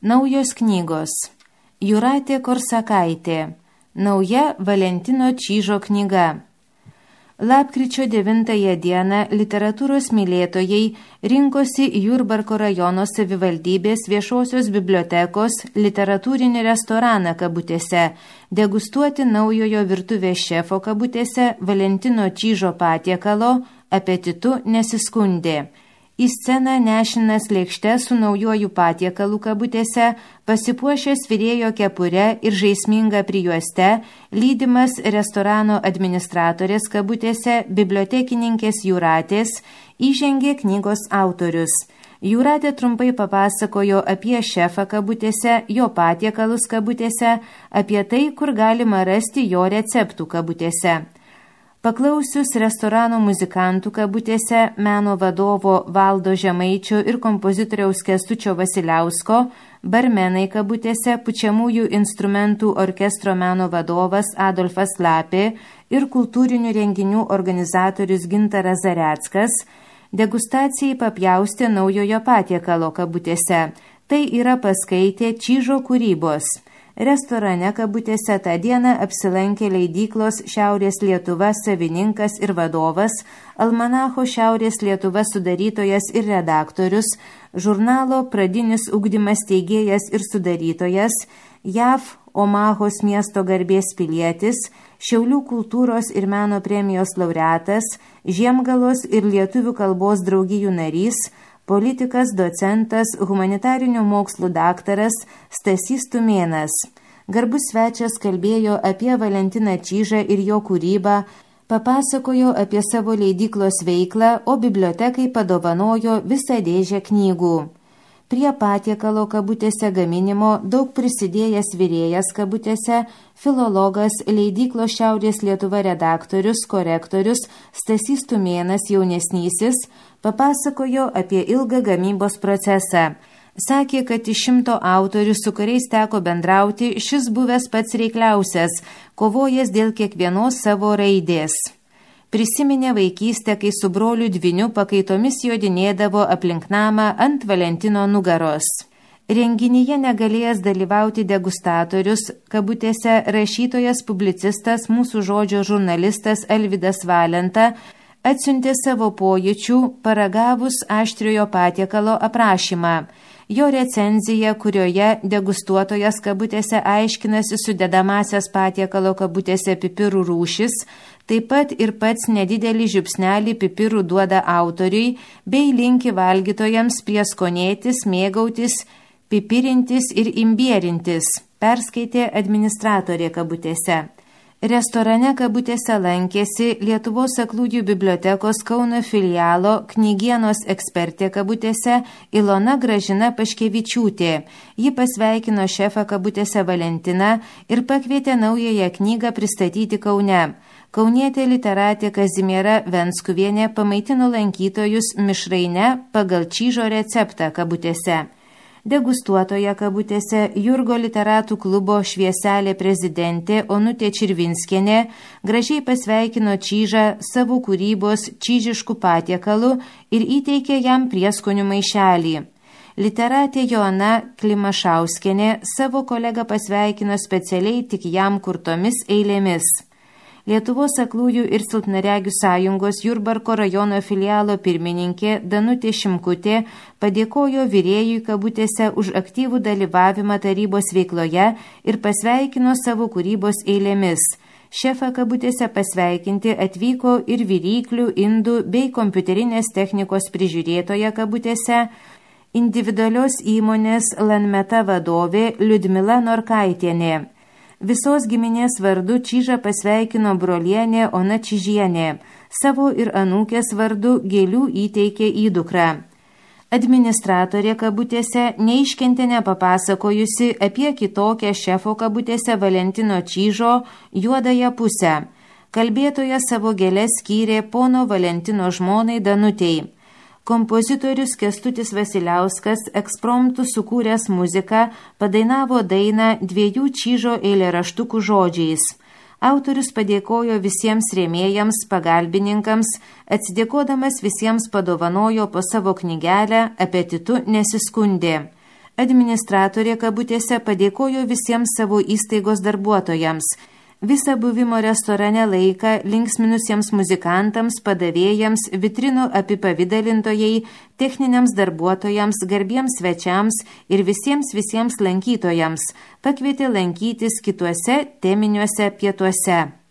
Naujos knygos. Jūratė Korsakaitė. Nauja Valentino Čyžo knyga. Lapkričio 9 dieną literatūros mylėtojai rinkosi Jurbarko rajono savivaldybės viešosios bibliotekos literatūrinį restoraną kabutėse, degustuoti naujojo virtuvės šefo kabutėse Valentino Čyžo patiekalo Apetitu nesiskundė. Į sceną nešinas lėkšte su naujoju patiekalu kabutėse, pasipuošęs virėjo kepure ir žaisminga prijuoste, lydimas restorano administratorės kabutėse bibliotekininkės Jūratės, įžengė knygos autorius. Jūratė trumpai papasakojo apie šefą kabutėse, jo patiekalus kabutėse, apie tai, kur galima rasti jo receptų kabutėse. Paklausius restorano muzikantų kabutėse, meno vadovo Valdo Žemaičio ir kompozitoriaus Kęstučio Vasiliausko, barmenai kabutėse, pučiamųjų instrumentų orkestro meno vadovas Adolfas Lapė ir kultūrinių renginių organizatorius Gintaras Zareckas, degustacijai papjaustė naujojo patiekalo kabutėse. Tai yra paskaitė Čyžo kūrybos. Restorane kabutėse tą dieną apsilankė leidyklos Šiaurės Lietuva savininkas ir vadovas, almanacho Šiaurės Lietuva sudarytojas ir redaktorius, žurnalo Pradinis ugdymas steigėjas ir sudarytojas, JAV Omahos miesto garbės pilietis, Šiaulių kultūros ir meno premijos laureatas, Žiemgalos ir lietuvių kalbos draugijų narys, politikas, docentas, humanitarinių mokslų daktaras Stasys Tumėnas. Garbus svečias kalbėjo apie Valentiną Čyžą ir jo kūrybą, papasakojo apie savo leidyklos veiklą, o bibliotekai padovanojo visą dėžę knygų. Prie patiekalo kabutėse gaminimo daug prisidėjęs virėjas kabutėse, filologas, leidyklos Šiaurės Lietuva redaktorius, korektorius Stasys Tumėnas jaunesnysis, papasakojo apie ilgą gamybos procesą. Sakė, kad iš 100 autorių, su kuriais teko bendrauti, šis buvęs pats reikliausias, kovojęs dėl kiekvienos savo raidės. Prisiminė vaikystę, kai su broliu dvyniu pakaitomis jodinėdavo aplink namą ant Valentino nugaros. Renginyje negalėjęs dalyvauti degustatorius, kabutėse rašytojas, publicistas, mūsų žodžio žurnalistas Alvydas Valenta, atsiuntė savo pojūčių, paragavus aštriojo patiekalo aprašymą. Jo recenzija, kurioje degustuotojas kabutėse aiškinasi sudedamasias patiekalo kabutėse pipirų rūšis, taip pat ir pats nedidelį žiupsnelį pipirų duoda autoriui, bei linki valgytojams prieskonėtis, mėgautis, pipirintis ir imbierintis, perskaitė administratorė kabutėse. Restorane kabutėse lankėsi Lietuvos aklųjų bibliotekos Kauno filialo knygienos ekspertė kabutėse Ilona Gražina Paškevičiūtė. Ji pasveikino šefą kabutėse Valentiną ir pakvietė naująją knygą pristatyti Kaune. Kaunietė literatė Kazimiera Venskuvienė pamaitino lankytojus mišraine pagal Čyžo receptą kabutėse. Degustuotoje kabutėse Jurgo literatų klubo Švieselė prezidentė Onutė Čirvinskienė gražiai pasveikino Čyžą savo kūrybos čyžiškų patiekalų ir įteikė jam prieskonių maišelį. Literatė Joana Klimašauskienė savo kolegą pasveikino specialiai tik jam kurtomis eilėmis. Lietuvos aklųjų ir silpnaregių sąjungos Jurbarko rajono filialo pirmininkė Danutė Šimkutė padėkojo virėjui kabutėse už aktyvų dalyvavimą tarybos veikloje ir pasveikino savo kūrybos eilėmis. Šefą kabutėse pasveikinti atvyko ir viryklių, indų bei kompiuterinės technikos prižiūrėtoja kabutėse individualios įmonės Lanmeta vadovė Liudmila Norkaitienė. Visos giminės vardu Čyžą pasveikino brolienė Ona Čyžienė, savo ir anūkės vardu gėlių įteikė įdukrą. Administratorė kabutėse neiškentė nepapasakojusi apie kitokią šefo kabutėse Valentino Čyžo juodąją pusę. Kalbėtoja savo gėles skyrė pono Valentino žmonai Danutei. Kompozitorius Kęstutis Vasiliauskas ekspromtu sukūręs muziką padainavo dainą 2 Čyžo eilėraštukų žodžiais. Autorius padėkojo visiems rėmėjams, pagalbininkams, atsidėkodamas visiems padovanojo po savo knygelę Apetitu nesiskundė. Administratorė kabutėse padėkojo visiems savo įstaigos darbuotojams, visą buvimo restorane laiką linksminusiems muzikantams, padavėjams, vitrinų apipavidalintojai, techniniams darbuotojams, garbiems svečiams ir visiems lankytojams pakvietė lankytis kituose teminiuose pietuose.